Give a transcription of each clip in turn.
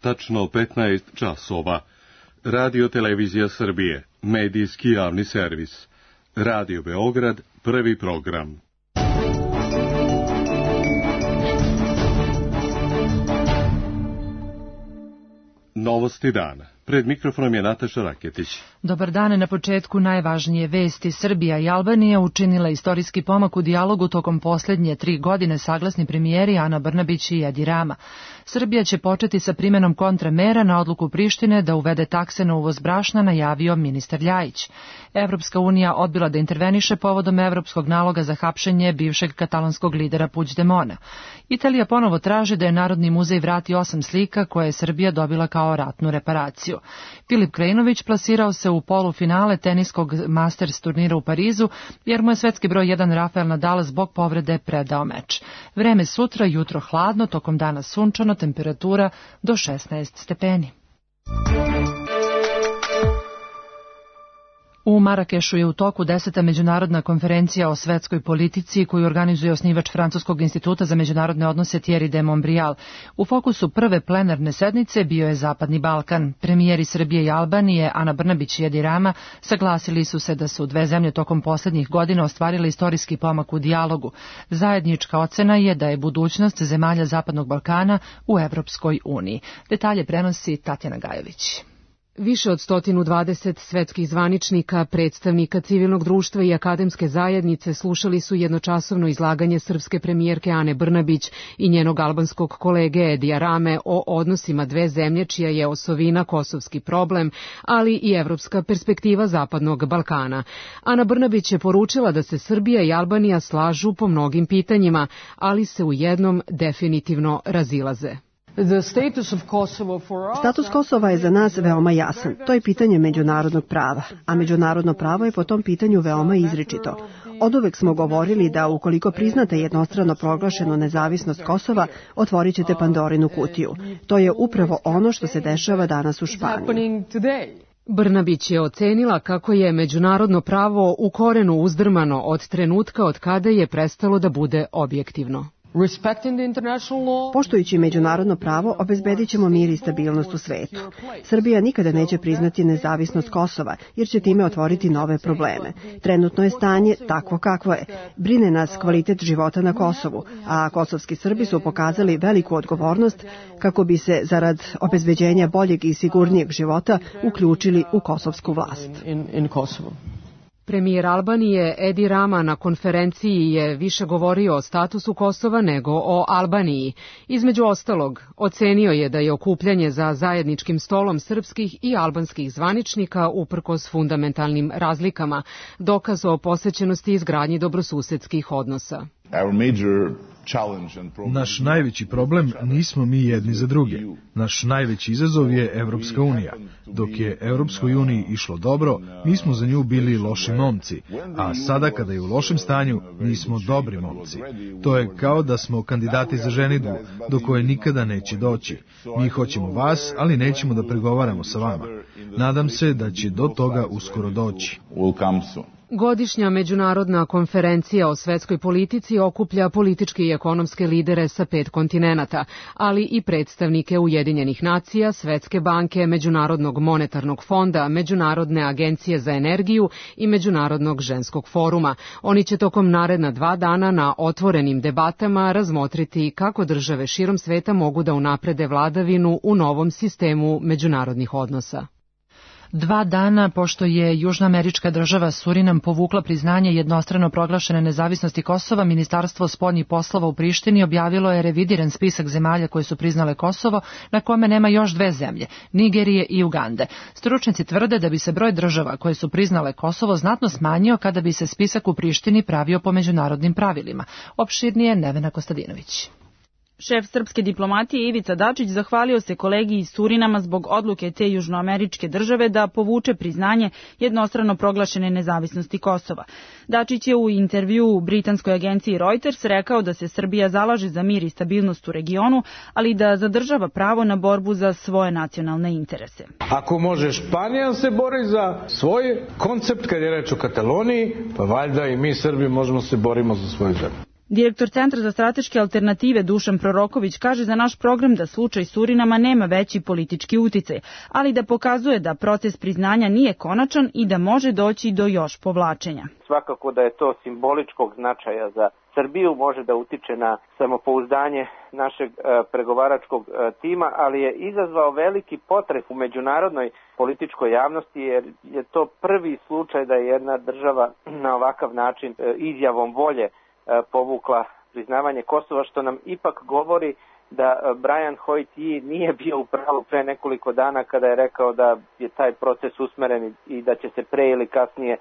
tačno 15 časova. Radio Televizija Srbije, medijski javni servis. Radio Beograd, prvi program. Novosti dana. Pred mikrofonom je Nataša Raketić. Dobar dan, na početku najvažnije vesti. Srbija i Albanija učinila istorijski pomak u dijalogu tokom posljednje 3 godine, saglasni premijeri Ana Brnabić i Edi Rama. Srbija će početi sa primenom kontramera na odluku Prištine da uvede takse na uvoz brašna, najavio ministar Ljajić. Evropska unija odbila da interveniše povodom evropskog naloga za hapšenje bivšeg katalonskog lidera Puigdemona. Italija ponovo traži da je Narodni muzej vrati 8 slika koje je Srbija dobila kao ratnu reparaciju. Filip Krajinović plasirao se u polufinale teniskog Masters turnira u Parizu, jer mu je svetski broj 1 Rafael Nadal zbog povrede predao meč. Vreme sutra, jutro hladno, tokom dana sunčano, temperatura do 16 stepeni. U Marakešu je u toku 10. međunarodna konferencija o svetskoj politici koju organizuje osnivač Francuskog instituta za međunarodne odnose Thierry de Montbrial. U fokusu prve plenarne sednice bio je Zapadni Balkan. Premijeri Srbije i Albanije, Ana Brnabić i Edi Rama, saglasili su se da su dve zemlje tokom posljednjih godina ostvarile istorijski pomak u dijalogu. Zajednička ocena je da je budućnost zemalja Zapadnog Balkana u Evropskoj uniji. Detalje prenosi Tatjana Gajović. Više od 120 svetskih zvaničnika, predstavnika civilnog društva i akademske zajednice slušali su jednočasovno izlaganje srpske premijerke Ane Brnabić i njenog albanskog kolege Edija Rame o odnosima dve zemlje čija je osovina kosovski problem, ali i evropska perspektiva Zapadnog Balkana. Ana Brnabić je poručila da se Srbija i Albanija slažu po mnogim pitanjima, ali se u jednom definitivno razilaze. Status Kosova je za nas veoma jasan. To je pitanje međunarodnog prava, a međunarodno pravo je po tom pitanju veoma izričito. Oduvek smo govorili da ukoliko priznate jednostrano proglašenu nezavisnost Kosova, otvorit ćete Pandorinu kutiju. To je upravo ono što se dešava danas u Španiji. Brnabić je ocenila kako je međunarodno pravo u korenu uzdrmano od trenutka od kada je prestalo da bude objektivno. Poštujući međunarodno pravo, obezbedit ćemo mir i stabilnost u svetu. Srbija nikada neće priznati nezavisnost Kosova, jer će time otvoriti nove probleme. Trenutno je stanje takvo kakvo je. Brine nas kvalitet života na Kosovu, a kosovski Srbi su pokazali veliku odgovornost kako bi se, zarad obezbeđenja boljeg i sigurnijeg života, uključili u kosovsku vlast. Premijer Albanije Edi Rama na konferenciji je više govorio o statusu Kosova nego o Albaniji. Između ostalog, ocenio je da je okupljanje za zajedničkim stolom srpskih i albanskih zvaničnika uprkos fundamentalnim razlikama dokaz o posvećenosti izgradnji dobrosusedskih odnosa. Naš najveći problem nismo mi jedni za druge. Naš najveći izazov je Evropska unija. Dok je Evropskoj uniji išlo dobro, mi smo za nju bili loši momci, a sada kada je u lošem stanju, mi smo dobri momci. To je kao da smo kandidati za ženidbu, do koje nikada neće doći. Mi hoćemo vas, ali nećemo da pregovaramo sa vama. Nadam se da će do toga uskoro doći. Godišnja međunarodna konferencija o svetskoj politici okuplja političke i ekonomske lidere sa 5 kontinenata, ali i predstavnike Ujedinjenih nacija, Svetske banke, Međunarodnog monetarnog fonda, Međunarodne agencije za energiju i Međunarodnog ženskog foruma. Oni će tokom naredna 2 dana na otvorenim debatama razmotriti kako države širom sveta mogu da unaprede vladavinu u novom sistemu međunarodnih odnosa. 2 dana pošto je južnoamerička država Surinam povukla priznanje jednostrano proglašene nezavisnosti Kosova, Ministarstvo spoljnih poslova u Prištini objavilo je revidiran spisak zemalja koje su priznale Kosovo, na kome nema još 2 zemlje, Nigerije i Ugande. Stručnjaci tvrde da bi se broj država koje su priznale Kosovo znatno smanjio kada bi se spisak u Prištini pravio po međunarodnim pravilima. Opširnije Nevena Kostadinović. Šef srpske diplomatije Ivica Dačić zahvalio se kolegi iz Surinama zbog odluke te južnoameričke države da povuče priznanje jednostrano proglašene nezavisnosti Kosova. Dačić je u intervjuu u britanskoj agenciji Reuters rekao da se Srbija zalaže za mir i stabilnost u regionu, ali da zadržava pravo na borbu za svoje nacionalne interese. Ako može Španija se bori za svoj koncept kad je reč o Kataloniji, pa valjda i mi Srbi možemo se borimo za svoju zemlju. Direktor Centra za strateške alternative Dušan Proroković kaže za naš program da slučaj Surinama nema veći politički uticaj, ali da pokazuje da proces priznanja nije konačan i da može doći do još povlačenja. Svakako da je to simboličkog značaja za Srbiju, može da utiče na samopouzdanje našeg pregovaračkog tima, ali je izazvao veliki potres u međunarodnoj političkoj javnosti, jer je to prvi slučaj da je jedna država na ovakav način izjavom volje povukla priznavanje Kosova, što nam ipak govori da Brian Hoyt nije bio u pravu pre nekoliko dana kada je rekao da je taj proces usmeren i da će se pre ili kasnije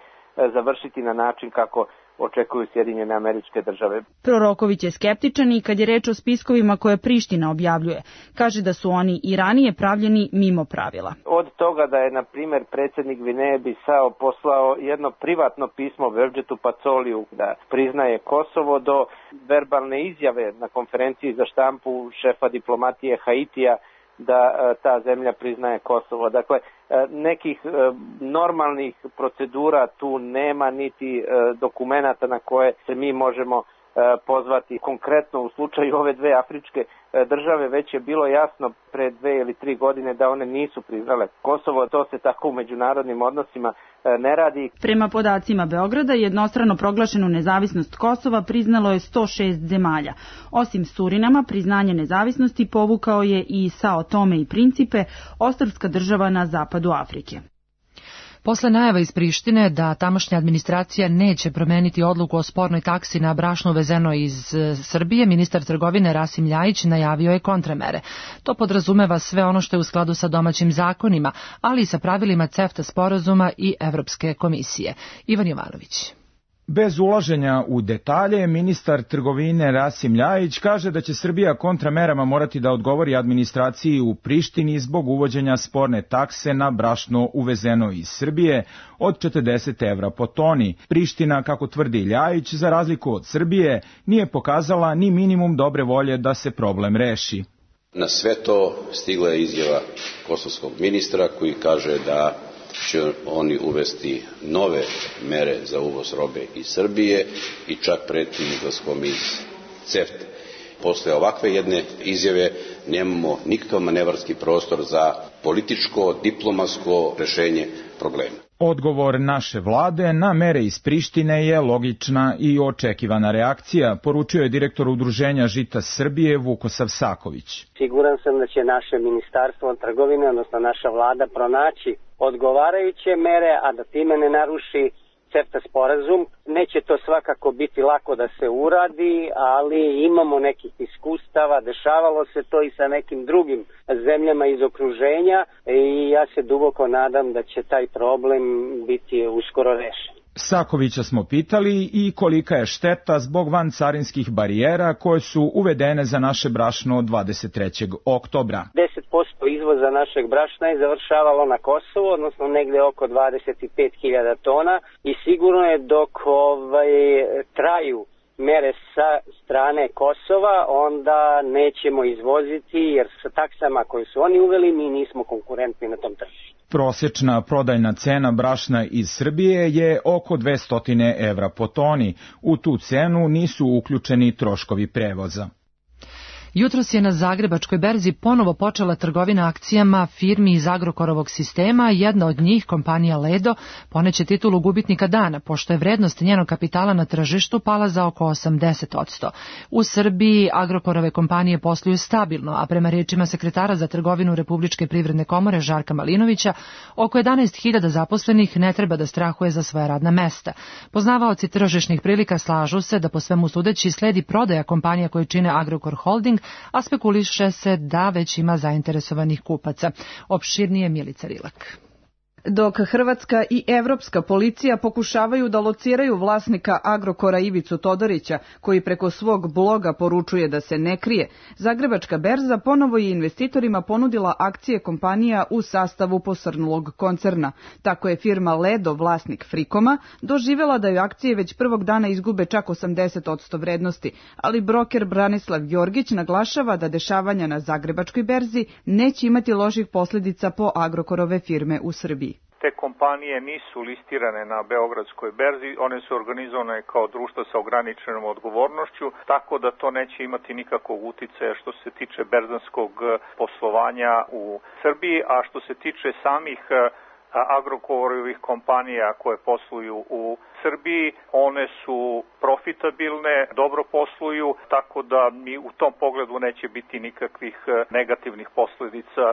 završiti na način kako očekuju Sjedinjene Američke Države. Proroković je skeptičan i kad je reč o spiskovima koje Priština objavljuje. Kaže da su oni i ranije pravljeni mimo pravila. Od toga da je, na primjer, predsjednik Gvineje Bisao poslao jedno privatno pismo Verđetu Pacoliju da priznaje Kosovo, do verbalne izjave na konferenciji za štampu šefa diplomatije Haitija da ta zemlja priznaje Kosovo. Dakle, nekih normalnih procedura tu nema, niti dokumenata na koje se mi možemo pozvati. Konkretno u slučaju ove dve afričke države već je bilo jasno pre 2 ili 3 godine da one nisu priznale Kosovo. To se tako u međunarodnim odnosima ne radi. Prema podacima Beograda, jednostrano proglašenu nezavisnost Kosova priznalo je 106 zemalja. Osim Surinama, priznanje nezavisnosti povukao je i Sao Tome i Principe, ostrvska država na zapadu Afrike. Posle najava iz Prištine da tamošnja administracija neće promeniti odluku o spornoj taksi na brašno uvezeno iz Srbije, ministar trgovine Rasim Ljajić najavio je kontramere. To podrazumeva sve ono što je u skladu sa domaćim zakonima, ali i sa pravilima CEFTA sporazuma i Evropske komisije. Ivan Jovanović. Bez ulaženja u detalje, ministar trgovine Rasim Ljajić kaže da će Srbija kontramerama morati da odgovori administraciji u Prištini zbog uvođenja sporne takse na brašno uvezeno iz Srbije od 40 evra po toni. Priština, kako tvrdi Ljajić, za razliku od Srbije, nije pokazala ni minimum dobre volje da se problem reši. Na sve to stigla je izjava kosovskog ministra koji kaže da će oni uvesti nove mere za uvoz robe iz Srbije i čak preti izlaskom iz CEFTA. Posle ovakve jedne izjave nemamo nikakav manevarski prostor za političko, diplomatsko rešenje problema. Odgovor naše vlade na mere iz Prištine je logična i očekivana reakcija, poručio je direktor Udruženja Žita Srbije Vukosav Saković. Siguran sam da će naše ministarstvo trgovine, odnosno naša vlada, pronaći odgovarajuće mere, a da time ne naruši CEFTA sporazum. Neće to svakako biti lako da se uradi, ali imamo nekih iskustava, dešavalo se to i sa nekim drugim zemljama iz okruženja i ja se duboko nadam da će taj problem biti uskoro rešen. Sakovića smo pitali i kolika je šteta zbog vancarinskih barijera koje su uvedene za naše brašno 23. oktobra. 10% izvoza našeg brašna je završavalo na Kosovo, odnosno negde oko 25.000 tona i sigurno je dok traju mere sa strane Kosova, onda nećemo izvoziti jer sa taksama koje su oni uveli mi nismo konkurentni na tom tržištu. Prosječna prodajna cena brašna iz Srbije je oko 200 evra po toni. U tu cenu nisu uključeni troškovi prevoza. Jutros je na Zagrebačkoj berzi ponovo počela trgovina akcijama firmi iz Agrokorovog sistema, jedna od njih, kompanija Ledo, poneće titulu gubitnika dana, pošto je vrednost njenog kapitala na tržištu pala za oko 80%. U Srbiji Agrokorove kompanije posluju stabilno, a prema rečima sekretara za trgovinu Republičke privredne komore Žarka Malinovića, oko 11.000 zaposlenih ne treba da strahuje za svoja radna mesta. Poznavaoci tržišnih prilika slažu se da po svemu sudeći sledi prodaja kompanija koje čine Agrokor Holding, a spekuliše se da već ima zainteresovanih kupaca. Opširnije Milica Rilak. Dok hrvatska i evropska policija pokušavaju da lociraju vlasnika Agrokora Ivicu Todorića, koji preko svog bloga poručuje da se ne krije, Zagrebačka berza ponovo je investitorima ponudila akcije kompanija u sastavu posrnulog koncerna. Tako je firma Ledo, vlasnik Frikoma, doživjela da joj akcije već prvog dana izgube čak 80% vrednosti, ali broker Branislav Jorgić naglašava da dešavanja na Zagrebačkoj berzi neće imati loših posljedica po Agrokorove firme u Srbiji. Te kompanije nisu listirane na Beogradskoj berzi, one su organizovane kao društva sa ograničenom odgovornošću, tako da to neće imati nikakvog uticaja što se tiče berzanskog poslovanja u Srbiji, a što se tiče samih Agrokorovih kompanija koje posluju u Srbiji, one su profitabilne, dobro posluju, tako da mi u tom pogledu neće biti nikakvih negativnih posledica.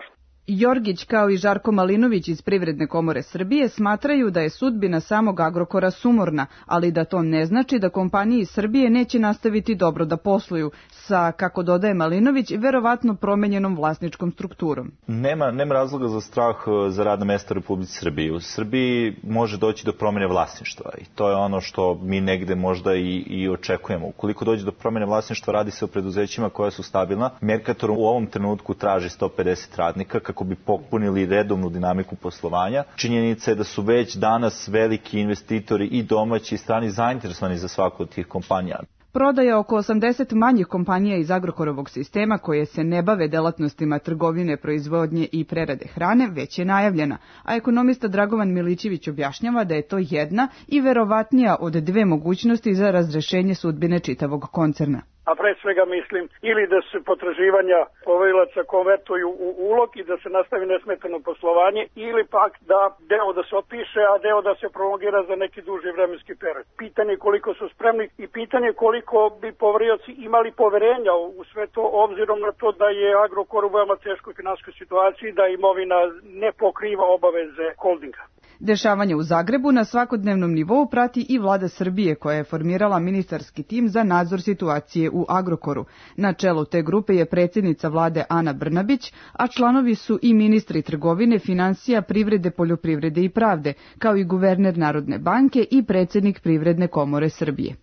Jorgić kao i Žarko Malinović iz Privredne komore Srbije smatraju da je sudbina samog Agrokora sumorna, ali da to ne znači da kompanije iz Srbije neće nastaviti dobro da posluju sa, kako dodaje Malinović, verovatno promenjenom vlasničkom strukturom. Nema razloga za strah za radna mesta u Republici Srbiji. U Srbiji može doći do promjene vlasništva i to je ono što mi negde možda i očekujemo. Ukoliko dođe do promjene vlasništva, radi se o preduzećima koja su stabilna. Mercator u ovom trenutku traži 150 radnika kako bi popunili redovnu dinamiku poslovanja. Činjenica je da su već danas veliki investitori i domaći i strani zainteresovani za svaku od tih kompanija. Prodaja oko 80 manjih kompanija iz Agrokorovog sistema koje se ne bave delatnostima trgovine, proizvodnje i prerade hrane već je najavljena, a ekonomista Dragovan Milićević objašnjava da je to jedna i verovatnija od dve mogućnosti za razrešenje sudbine čitavog koncerna. A pre svega mislim ili da se potraživanja poverilaca konvertuju u ulog i da se nastavi nesmetano poslovanje, ili pak da deo da se otpiše, a deo da se prolongira za neki duži vremenski period. Pitanje koliko su spremni i pitanje koliko bi poverioci imali poverenja u sve to, obzirom na to da je Agrokor u veoma teškoj finansijskoj situaciji, da imovina ne pokriva obaveze holdinga. Dešavanje u Zagrebu na svakodnevnom nivou prati i vlada Srbije koja je formirala ministarski tim za nadzor situacije u Agrokoru. Na čelu te grupe je predsjednica vlade Ana Brnabić, a članovi su i ministri trgovine, finansija, privrede, poljoprivrede i pravde, kao i guverner Narodne banke i predsjednik Privredne komore Srbije.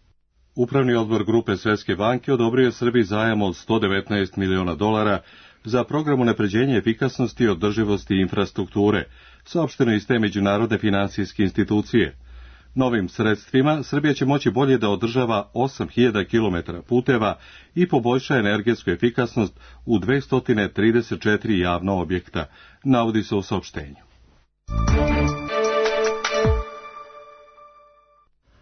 Upravni odbor grupe Svetske banke odobrio je Srbiji zajam od $119 miliona za program unapređenja efikasnosti i održivosti infrastrukture, saopšteno iz te međunarodne finansijske institucije. Novim sredstvima Srbija će moći bolje da održava 8000 km puteva i poboljša energetsku efikasnost u 234 javna objekta, navodi se u saopštenju.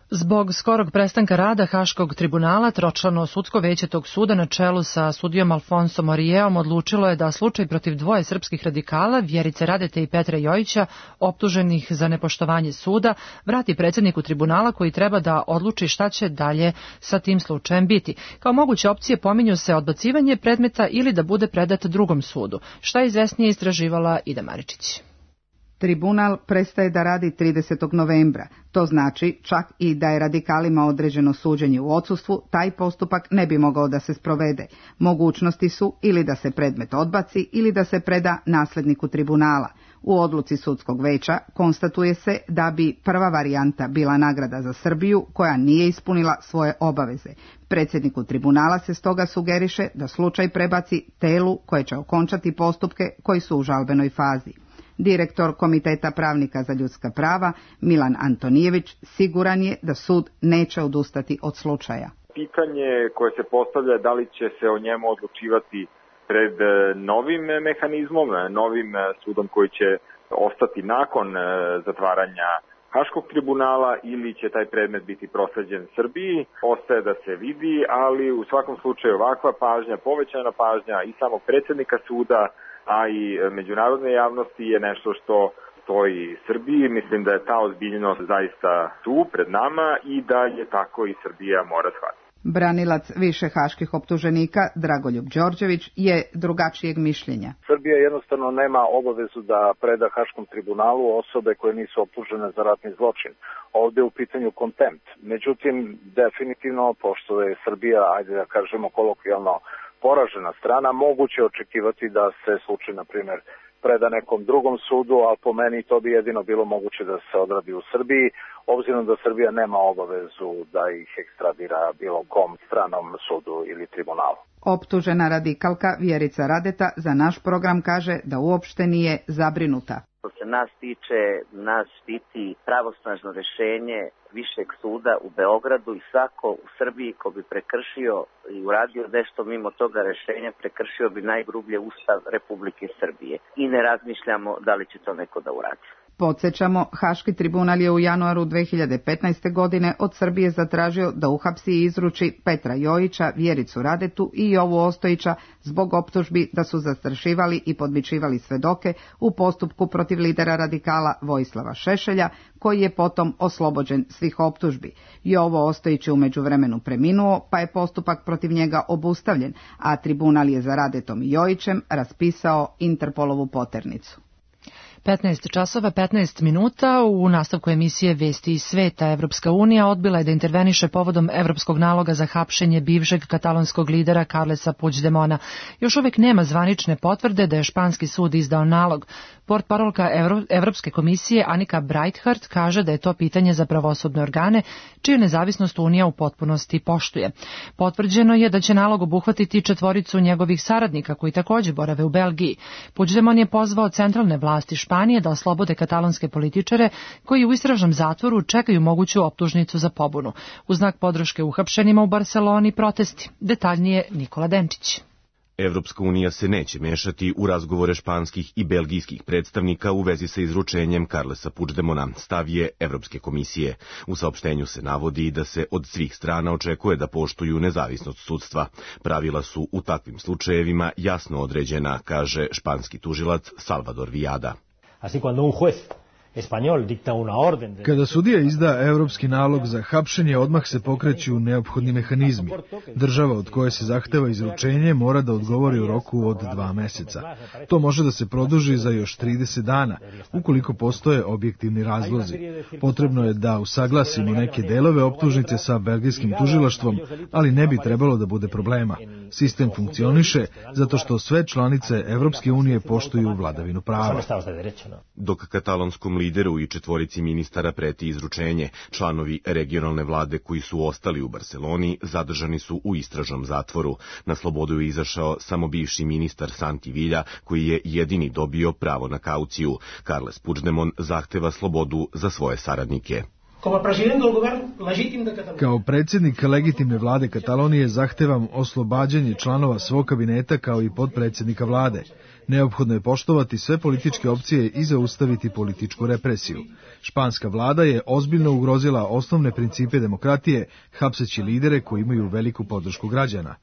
Zbog skorog prestanka rada Haškog tribunala, tročlano sudsko veće tog suda na čelu sa sudijom Alfonsom Orijeom odlučilo je da slučaj protiv dvoje srpskih radikala, Vjerice Radete i Petra Jojića, optuženih za nepoštovanje suda, vrati predsjedniku tribunala koji treba da odluči šta će dalje sa tim slučajem biti. Kao moguće opcije pominju se odbacivanje predmeta ili da bude predat drugom sudu. Šta je izvesnije istraživala Ida Maričić. Tribunal prestaje da radi 30. novembra. To znači, čak i da je radikalima određeno suđenje u odsustvu, taj postupak ne bi mogao da se sprovede. Mogućnosti su ili da se predmet odbaci ili da se preda nasledniku tribunala. U odluci sudskog veća konstatuje se da bi prva varijanta bila nagrada za Srbiju koja nije ispunila svoje obaveze. Predsjedniku tribunala se stoga sugeriše da slučaj prebaci telu koje će okončati postupke koji su u žalbenoj fazi. Direktor Komiteta pravnika za ljudska prava Milan Antonijević siguran je da sud neće odustati od slučaja. Pitanje koje se postavlja je da li će se o njemu odlučivati pred novim mehanizmom, novim sudom koji će ostati nakon zatvaranja Haškog tribunala ili će taj predmet biti prosleđen Srbiji. Ostaje da se vidi, ali u svakom slučaju ovakva pažnja, povećana pažnja i samog predsjednika suda, a i međunarodne javnosti je nešto što stoji Srbiji. Mislim da je ta ozbiljnost zaista tu pred nama i da je tako i Srbija mora shvatiti. Branilac više haških optuženika Dragoljub Đorđević je drugačijeg mišljenja. Srbija jednostavno nema obavezu da preda Haškom tribunalu osobe koje nisu optužene za ratni zločin. Ovdje je u pitanju kontempt. Međutim, definitivno, pošto je Srbija, ajde da kažemo kolokvijalno, poražena strana, moguće očekivati da se slučaj, na primjer, preda nekom drugom sudu, a po meni to bi jedino bilo moguće da se odradi u Srbiji, obzirom da Srbija nema obavezu da ih ekstradira bilo kom stranom sudu ili tribunalu. Optužena radikalka Vjerica Radeta za naš program kaže da uopšte nije zabrinuta. Što se nas tiče, nas štiti pravosnažno rešenje Višeg suda u Beogradu i svako u Srbiji ko bi prekršio i uradio nešto mimo toga rešenja, prekršio bi najgrublje Ustav Republike Srbije. I ne razmišljamo da li će to neko da uradi. Podsjećamo, Haški tribunal je u januaru 2015. godine od Srbije zatražio da uhapsi i izruči Petra Jojića, Vjericu Radetu i Jovu Ostojića zbog optužbi da su zastrašivali i podmićivali svedoke u postupku protiv lidera radikala Vojislava Šešelja, koji je potom oslobođen svih optužbi. Jovo Ostojić je u međuvremenu preminuo, pa je postupak protiv njega obustavljen, a tribunal je za Radetom i Jojićem raspisao Interpolovu poternicu. 15 časova 15 minuta u nastavku emisije Vesti iz sveta. Evropska unija odbila je da interveniše povodom evropskog naloga za hapšenje bivšeg katalonskog lidera Carlesa Puigdemona. Još uvijek nema zvanične potvrde da je španski sud izdao nalog. Portparolka Evropske komisije Annika Breithardt kaže da je to pitanje za pravosudne organe, čiju nezavisnost Unija u potpunosti poštuje. Potvrđeno je da će nalog obuhvatiti 4 njegovih saradnika koji također borave u Belgiji. Puigdemon je pozvao centralne vlasti Španije da oslobode katalonske političare koji u istražnom zatvoru čekaju moguću optužnicu za pobunu. U znak podrške uhapšenima u Barceloni protesti. Detaljnije Nikola Denčić. Evropska unija se neće mešati u razgovore španskih i belgijskih predstavnika u vezi sa izručenjem Carlesa Puigdemona, stav je Evropske komisije. U saopštenju se navodi da se od svih strana očekuje da poštuju nezavisnost sudstva. Pravila su u takvim slučajevima jasno određena, kaže španski tužilac Salvador Viada. Kada sudija izda evropski nalog za hapšenje, odmah se pokreću neophodni mehanizmi. Država od koje se zahteva izručenje mora da odgovori u roku od 2 meseca. To može da se produži za još 30 dana, ukoliko postoje objektivni razlozi. Potrebno je da usaglasimo neke delove optužnice sa belgijskim tužilaštvom, ali ne bi trebalo da bude problema. Sistem funkcioniše zato što sve članice Evropske unije poštuju vladavinu prava. Dok katalonskom lideru i 4 ministara preti izručenje, članovi regionalne vlade koji su ostali u Barceloni zadržani su u istražnom zatvoru. Na slobodu je izašao samo bivši ministar Santi Villa, koji je jedini dobio pravo na kauciju. Carles Puigdemon zahteva slobodu za svoje saradnike. Kao predsjednik legitimne vlade Katalonije zahtevam oslobađanje članova svog kabineta kao i podpredsjednika vlade. Neophodno je poštovati sve političke opcije i zaustaviti političku represiju. Španska vlada je ozbiljno ugrozila osnovne principe demokratije, hapseći lidere koji imaju veliku podršku građana.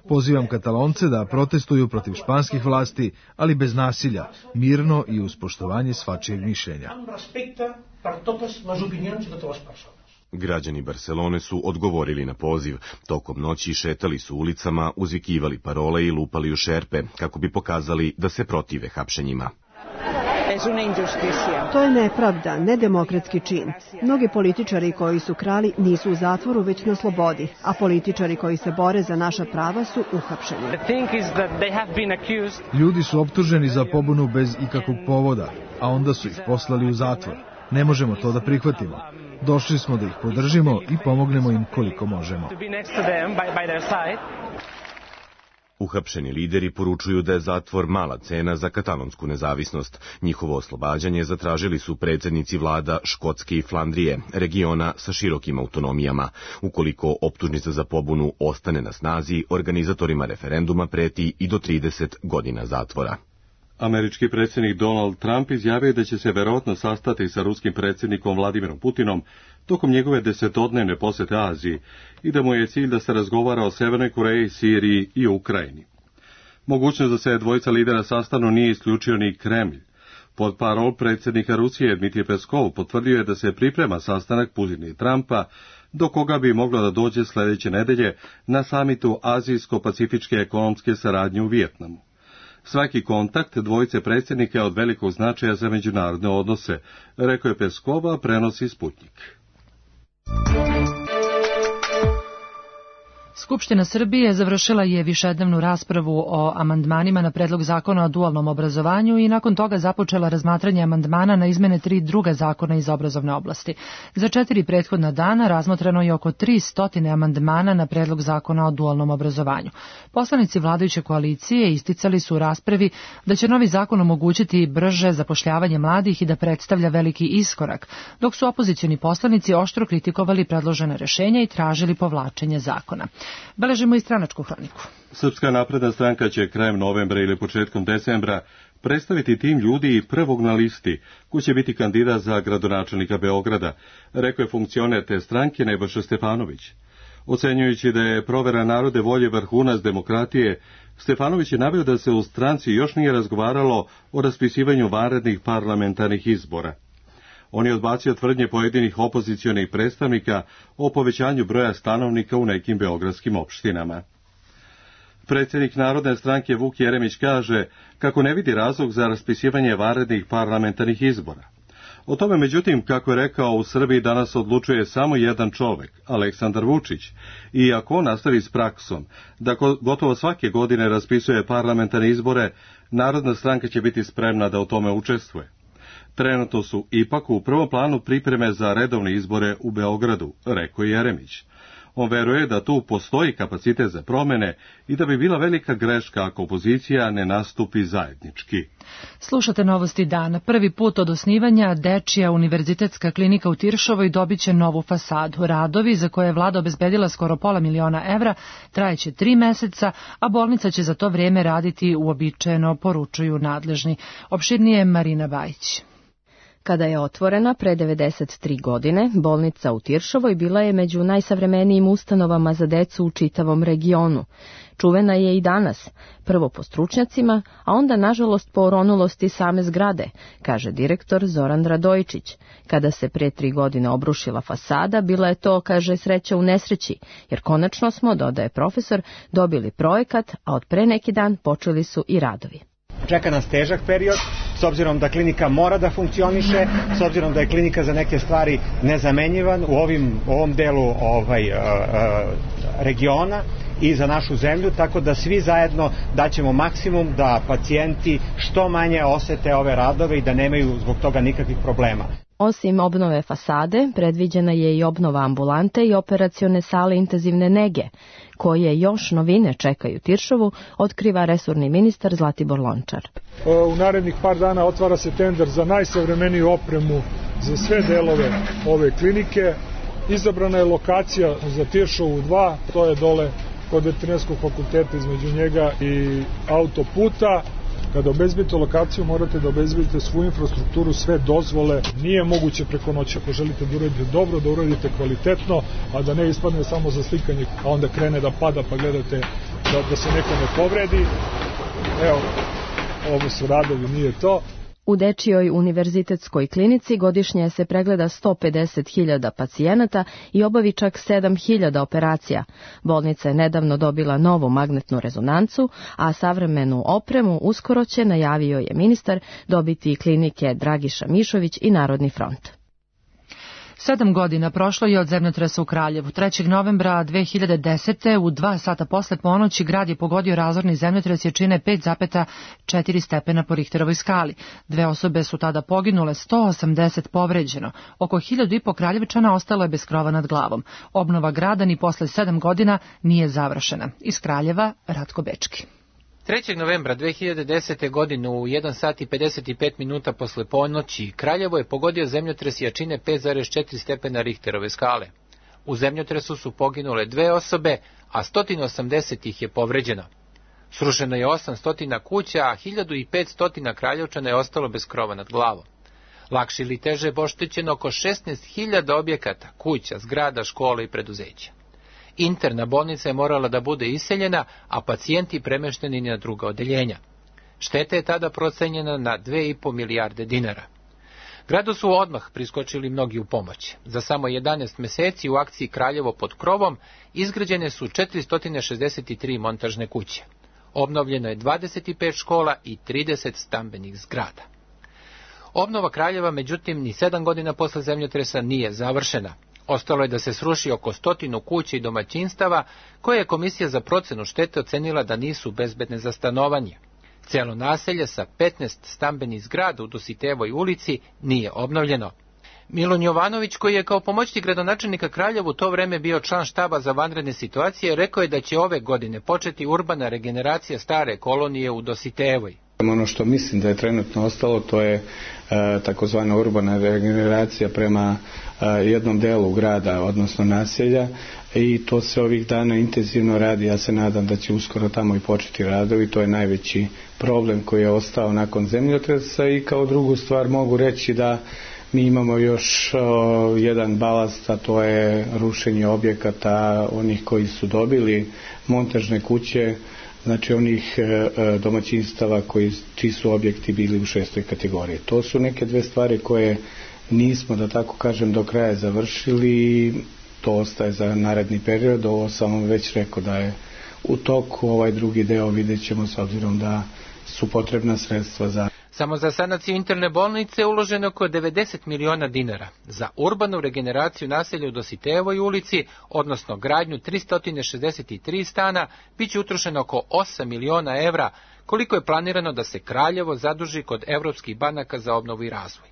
Pozivam Katalonce da protestuju protiv španskih vlasti, ali bez nasilja, mirno i uz poštovanje svačijeg mišljenja. Građani Barcelone su odgovorili na poziv. Tokom noći šetali su ulicama, uzvikivali parole i lupali u šerpe, kako bi pokazali da se protive hapšenjima. To je nepravda, nedemokratski čin. Mnogi političari koji su krali nisu u zatvoru, već na slobodi, a političari koji se bore za naša prava su uhapšeni. Ljudi su optuženi za pobunu bez ikakvog povoda, a onda su ih poslali u zatvor. Ne možemo to da prihvatimo. Došli smo da ih podržimo i pomognemo im koliko možemo. Uhapšeni lideri poručuju da je zatvor mala cena za katalonsku nezavisnost. Njihovo oslobađanje zatražili su predsjednici vlada Škotske i Flandrije, regiona sa širokim autonomijama. Ukoliko optužnica za pobunu ostane na snazi, organizatorima referenduma preti i do 30 godina zatvora. Američki predsjednik Donald Trump izjavio da će se verovatno sastati sa ruskim predsjednikom Vladimirom Putinom tokom njegove 10-dnevne posjete Aziji i da mu je cilj da se razgovara o Severnoj Koreji, Siriji i Ukrajini. Mogućnost da se dvojica lidera sastanu nije isključio ni Kremlj. Portparol predsjednika Rusije Dmitrij Peskov potvrdio je da se priprema sastanak Putina i Trumpa, do koga bi moglo da dođe sljedeće nedelje na samitu Azijsko-pacifičke ekonomske saradnje u Vijetnamu. Svaki kontakt dvojice predsjednika je od velikog značaja za međunarodne odnose, rekao je Peskova, prenosi Sputnik. Skupština Srbije završila je višednevnu raspravu o amandmanima na predlog zakona o dualnom obrazovanju i nakon toga započela razmatranje amandmana na izmene 3 druga zakona iz obrazovne oblasti. Za 4 prethodna dana razmotreno je oko 300 amandmana na predlog zakona o dualnom obrazovanju. Poslanici vladajuće koalicije isticali su u raspravi da će novi zakon omogućiti brže zapošljavanje mladih i da predstavlja veliki iskorak, dok su opozicioni poslanici oštro kritikovali predložena rešenja i tražili povlačenje zakona. Beležimo i stranačku hroniku. Srpska napredna stranka će krajem novembra ili početkom decembra predstaviti tim ljudi prvog na listi, ko će biti kandidat za gradonačelnika Beograda, rekao je funkcioner te stranke Nebojša Stefanović. Ocenjujući da je provera narode volje vrhunac demokratije, Stefanović je naveo da se u stranci još nije razgovaralo o raspisivanju vanrednih parlamentarnih izbora. On je odbacio tvrdnje pojedinih opozicionih predstavnika o povećanju broja stanovnika u nekim beogradskim opštinama. Predsjednik Narodne stranke Vuk Jeremić kaže kako ne vidi razlog za raspisivanje vanrednih parlamentarnih izbora. O tome, međutim, kako je rekao, u Srbiji danas odlučuje samo jedan čovjek, Aleksandar Vučić, i ako on nastavi s praksom da gotovo svake godine raspisuje parlamentarne izbore, Narodna stranka će biti spremna da u tome učestvuje. Trenutno su ipak u prvom planu pripreme za redovne izbore u Beogradu, rekao je Jeremić. On veruje da tu postoji kapacitet za promene i da bi bila velika greška ako opozicija ne nastupi zajednički. Slušate Novosti dana. Prvi put od osnivanja Dečija univerzitetska klinika u Tiršovoj dobit će novu fasadu. Radovi, za koje je vlada obezbedila skoro $500 000, trajeće 3 meseca, a bolnica će za to vrijeme raditi uobičajeno, poručuju nadležni. Opširnije Marina Bajić. Kada je otvorena pre 93 godine, bolnica u Tiršovoj bila je među najsavremenijim ustanovama za decu u čitavom regionu. Čuvena je i danas, prvo po stručnjacima, a onda nažalost po oronulosti same zgrade, kaže direktor Zoran Radojičić. Kada se pre 3 godine obrušila fasada, bila je to, kaže, sreća u nesreći, jer konačno smo, dodaje profesor, dobili projekat, a od pre neki dan počeli su i radovi. Čeka nas težak period, s obzirom da klinika mora da funkcioniše, s obzirom da je klinika za neke stvari nezamenjivan u ovom delu regiona i za našu zemlju, tako da svi zajedno daćemo maksimum da pacijenti što manje osete ove radove i da nemaju zbog toga nikakvih problema. Osim obnove fasade, predviđena je i obnova ambulante i operacione sale intenzivne nege, koje još novine čekaju Tiršovu, otkriva resorni ministar Zlatibor Lončar. U narednih par dana otvara se tender za najsavremeniju opremu za sve delove ove klinike. Izabrana je lokacija za Tiršovu 2, to je dole kod Veterinarskog fakulteta između njega i autoputa. Kada obezbedite lokaciju, morate da obezbedite svu infrastrukturu, sve dozvole. Nije moguće preko noći. Ako želite da uradite dobro, da uradite kvalitetno, a da ne ispadne samo za slikanje, a onda krene da pada pa gledate da se neko ne povredi. Evo, ovo su radovi, nije to. U Dečijoj univerzitetskoj klinici godišnje se pregleda 150.000 pacijenata i obavi čak 7.000 operacija. Bolnica je nedavno dobila novu magnetnu rezonancu, a savremenu opremu uskoro će, najavio je ministar, dobiti klinike Dragiša Mišović i Narodni front. 7 godina prošlo je od zemljotresa u Kraljevu. 3. novembra 2010. u 2 sata posle ponoći grad je pogodio razorni zemljotres jačine 5,4 stepena po Richterovoj skali. 2 osobe su tada poginule, 180 povređeno. Oko 1.500 Kraljevčana ostalo je bez krova nad glavom. Obnova grada ni posle 7 godina nije završena. Iz Kraljeva, Ratko Bečki. 3. novembra 2010. godine u 1 sat i 55 minuta posle ponoći Kraljevo je pogodio zemljotres jačine 5,4 stepena Richterove skale. U zemljotresu su poginule 2 osobe, a 180 ih je povređeno. Srušeno je 800 kuća, a 1500 Kraljevčana je ostalo bez krova nad glavom. Lakše ili teže oštećeno oko 16.000 objekata, kuća, zgrada, škola i preduzeća. Interna bolnica je morala da bude iseljena, a pacijenti premešteni na druga odeljenja. Šteta je tada procenjena na 2,5 milijarde dinara. Gradu su odmah priskočili mnogi u pomoć. Za samo 11 meseci u akciji Kraljevo pod krovom izgrađene su 463 montažne kuće. Obnovljeno je 25 škola i 30 stambenih zgrada. Obnova Kraljeva, međutim, ni 7 godina posle zemljotresa nije završena. Ostalo je da se sruši oko 100 kuća i domaćinstava, koje je Komisija za procenu štete ocenila da nisu bezbedne za stanovanje. Celo naselje sa 15 stambenih zgrada u Dositejevoj ulici nije obnovljeno. Milun Jovanović, koji je kao pomoćnik gradonačelnika Kraljevu u to vreme bio član štaba za vanredne situacije, rekao je da će ove godine početi urbana regeneracija stare kolonije u Dositejevoj. Ono što mislim da je trenutno ostalo, to je takozvana urbana regeneracija prema jednom delu grada, odnosno naselja, i to se ovih dana intenzivno radi. Ja se nadam da će uskoro tamo i početi radovi. To je najveći problem koji je ostao nakon zemljotresa. I kao drugu stvar mogu reći da mi imamo još jedan balast, a to je rušenje objekata onih koji su dobili montažne kuće, znači onih domaćinstava čiji su objekti bili u 6. kategoriji. To su neke dve stvari koje nismo, da tako kažem, do kraja završili. To ostaje za naredni period. Ovo sam vam već rekao da je u toku. Ovaj drugi deo vidjet ćemo, s obzirom da su potrebna sredstva za... Samo za sanaciju interne bolnice uloženo oko 90 miliona dinara. Za urbanu regeneraciju naselja u Dositejevoj ulici, odnosno gradnju 363 stana, bit će utrošeno oko 8 miliona evra, koliko je planirano da se Kraljevo zaduži kod evropskih banaka za obnovu i razvoj.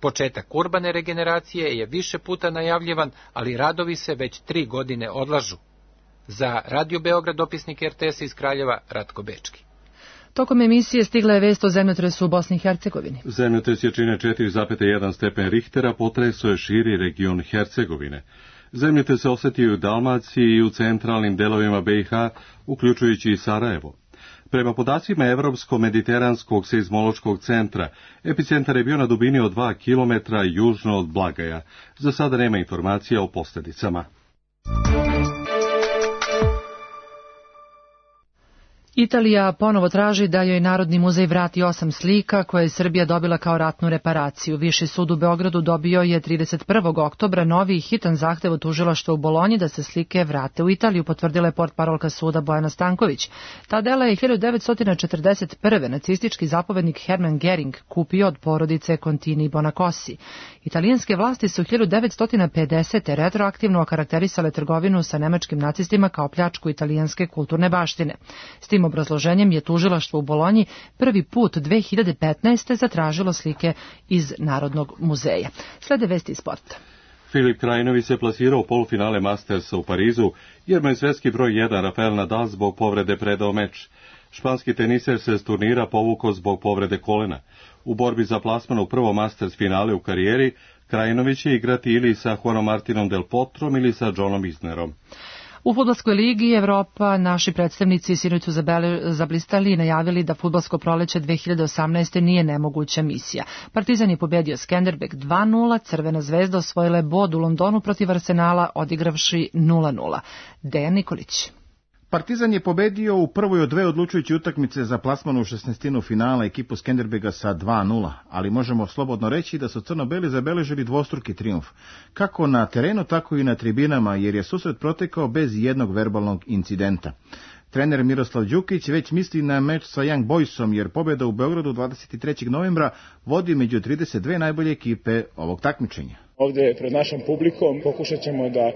Početak urbane regeneracije je više puta najavljivan, ali radovi se već 3 godine odlažu. Za Radio Beograd dopisnik RTS iz Kraljeva Ratko Bečki. Tokom emisije stigla je vest o zemljotresu u Bosni i Hercegovini. Zemljotres jačine 4,1 stepen Richtera potresao je širi region Hercegovine. Zemljotres se osetio i u Dalmaciji i u centralnim delovima BiH, uključujući i Sarajevo. Prema podacima Evropsko-mediteranskog seizmološkog centra, epicentar je bio na dubini od 2 km južno od Blagaja. Za sada nema informacija o posljedicama. Italija ponovo traži da joj Narodni muzej vrati 8 slika koje je Srbija dobila kao ratnu reparaciju. Viši sud u Beogradu dobio je 31. oktobra novi hitan zahtev od tužilaštva u Bolonji da se slike vrate u Italiju, potvrdila je portparolka suda Bojana Stanković. Ta dela je 1941. nacistički zapovednik Hermann Göring kupio od porodice Contini Bonacosi. Italijanske vlasti su 1950. retroaktivno okarakterisale trgovinu sa nemačkim nacistima kao pljačku italijanske kulturne baštine. S tim obrazloženjem je tužilaštvo u Bolonji prvi put 2015. zatražilo slike iz Narodnog muzeja. Slede vesti iz sporta. Filip Krajinović se plasirao u polufinale Mastersa u Parizu, jer mu je svetski broj 1 Rafael Nadal zbog povrede predao meč. Španski teniser se s turnira povukao zbog povrede kolena. U borbi za plasman u prvo Masters finale u karijeri, Krajinović će igrati ili sa Juanom Martinom Del Potrom ili sa Johnom Isnerom. U fudbalskoj ligi Evropa naši predstavnici sinoć su zablistali i najavili da fudbalsko proleće 2018. nije nemoguća misija. Partizan je pobedio Skenderbeg 2-0, Crvena zvezda osvojila je bod u Londonu protiv Arsenala odigravši 0-0. Dejan Nikolić. Partizan je pobedio u prvoj od dve odlučujuće utakmice za plasman u 16. finala ekipu Skenderbega sa 2-0, ali možemo slobodno reći da su crno-beli zabeležili dvostruki trijumf, kako na terenu, tako i na tribinama, jer je susret protekao bez jednog verbalnog incidenta. Trener Miroslav Đukić već misli na meč sa Young Boysom, jer pobjeda u Beogradu 23. novembra vodi među 32 najbolje ekipe ovog takmičenja. Ovdje pred našom publikom pokušat ćemo da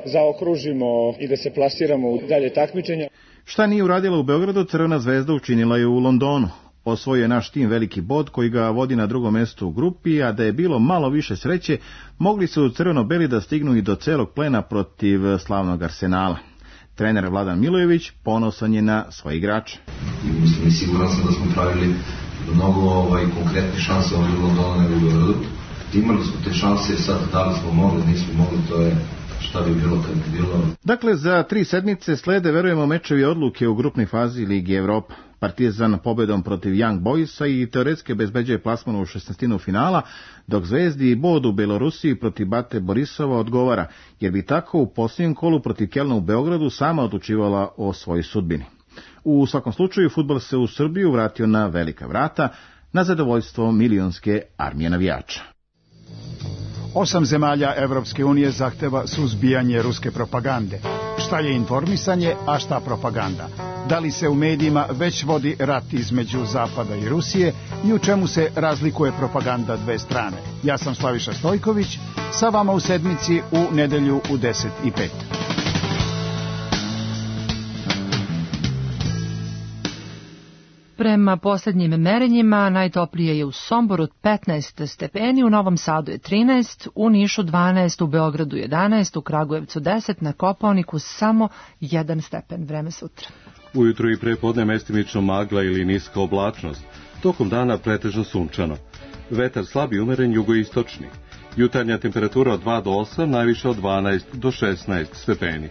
zaokružimo i da se plasiramo u dalje takmičenja. Šta nije uradila u Beogradu, Crvena zvezda učinila je u Londonu. Osvojio je naš tim veliki bod koji ga vodi na drugom mjestu u grupi, a da je bilo malo više sreće, mogli su crveno-beli da stignu i do celog plena protiv slavnog Arsenala. Trener Vladan Milojević ponosan je na svoje igrače. Mislim, siguran sam da smo pravili mnogo konkretnih šanse ovdje u Londonu nego u Beogradu. Imali smo te šanse, sad da li smo mogli, nismo mogli, to je šta bi bilo kad bi bilo. Dakle, za 3 sedmice slede, verujemo, mečevi odluke u grupnoj fazi Ligi Evropa. Partizan pobedom protiv Young Boysa i teoretski bezbeđuje plasman u 16. finala, dok Zvezdi i bod u Belorusiji protiv Bate Borisova odgovara, jer bi tako u posljednjem kolu protiv Kelna u Beogradu sama odlučivala o svojoj sudbini. U svakom slučaju, fudbal se u Srbiju vratio na velika vrata, na zadovoljstvo milionske armije navijača. 8 zemalja Evropske unije zahteva suzbijanje ruske propagande. Šta je informisanje, a šta propaganda? Da li se u medijima već vodi rat između Zapada i Rusije i u čemu se razlikuje propaganda dve strane? Ja sam Slaviša Stojković, sa vama u sedmici u nedelju u 10:05. Prema posljednjim merenjima najtoplije je u Somboru 15 stepeni, u Novom Sadu je 13, u Nišu 12, u Beogradu 11, u Kragujevcu 10, na Kopaoniku samo 1 stepen. Vreme sutra. Ujutro i prepodne mestimično magla ili niska oblačnost. Tokom dana pretežno sunčano. Vetar slab i umeren jugoistočni. Jutarnja temperatura od 2 do 8, najviša od 12 do 16 stepeni.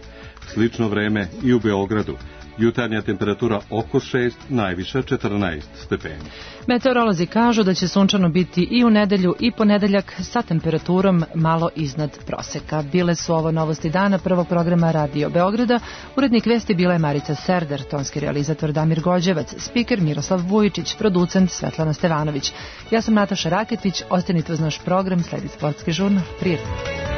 Slično vreme i u Beogradu. Jutarnja temperatura oko 6, najviša 14 stepeni. Meteorolozi kažu da će sunčano biti i u nedelju i ponedeljak sa temperaturom malo iznad proseka. Bile su ovo novosti dana prvog programa Radio Beograda. Urednik vesti bila je Marica Serder, tonski realizator Damir Gođevac, spiker Miroslav Vujičić, producent Svetlana Stevanović. Ja sam Nataša Raketić, ostanite uz naš program, sledi sportski žurnal. Prijatno.